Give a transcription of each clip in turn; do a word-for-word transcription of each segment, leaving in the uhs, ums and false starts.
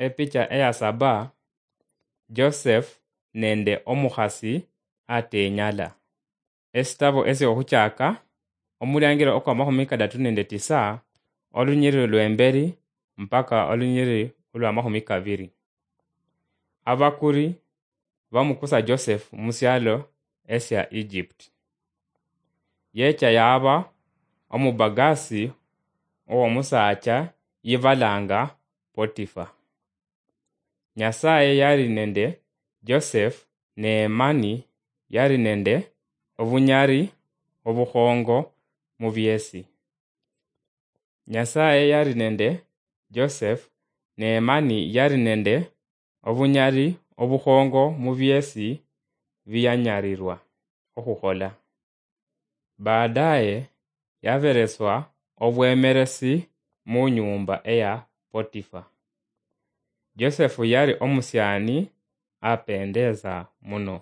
Epicha eya saba, Joseph nende omukhasi atenyala. Esitabo esyokhuchaka, omuliangiro okwamakhumi kadatu nende tisa, olunyiriri lwemberi mpaka olunyiriri olwamakhumi kabiri. Abakuri bamukusa Joseph musialo esia Egypt. Yecha yaba omubagasi owomusaacha yibalanga Potifa. Nyasaye yali nende Joseph, ne mani yali nende obunyali obukhongo mubiesi. Nyasaye yali nende Joseph, ne mani yali nende obunyali obukhongo mubiesi biyanyalirwa okhukhola. Baadaye yabereswa obwemeresi munyumba eya Potifa. Joseph yali omusiani apendeza muno.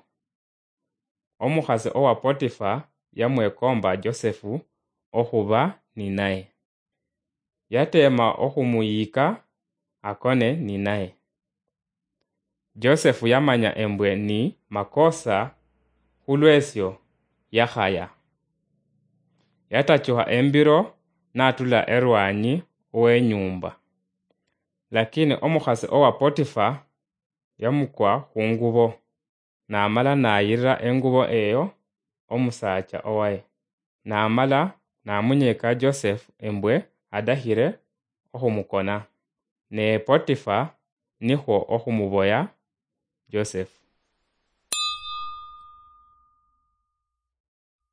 Omukhasi owa Potifa yamwekomba Joseph okhuba ninaye. Yateema okhumuyika akone ninaye. Joseph yamanya embwe ni makosa, khulwesyo yakhaya. Yatachukha embiro natula erwanyi wenyumba. Lakini omukhasi owa Potifa yamukwa khungubo, namala nayirira engubo eyo omusaacha owaye, namala namunyeka Joseph embwe adakhire okhumukona. Ne Potifa nikhwo okhumuboya Joseph.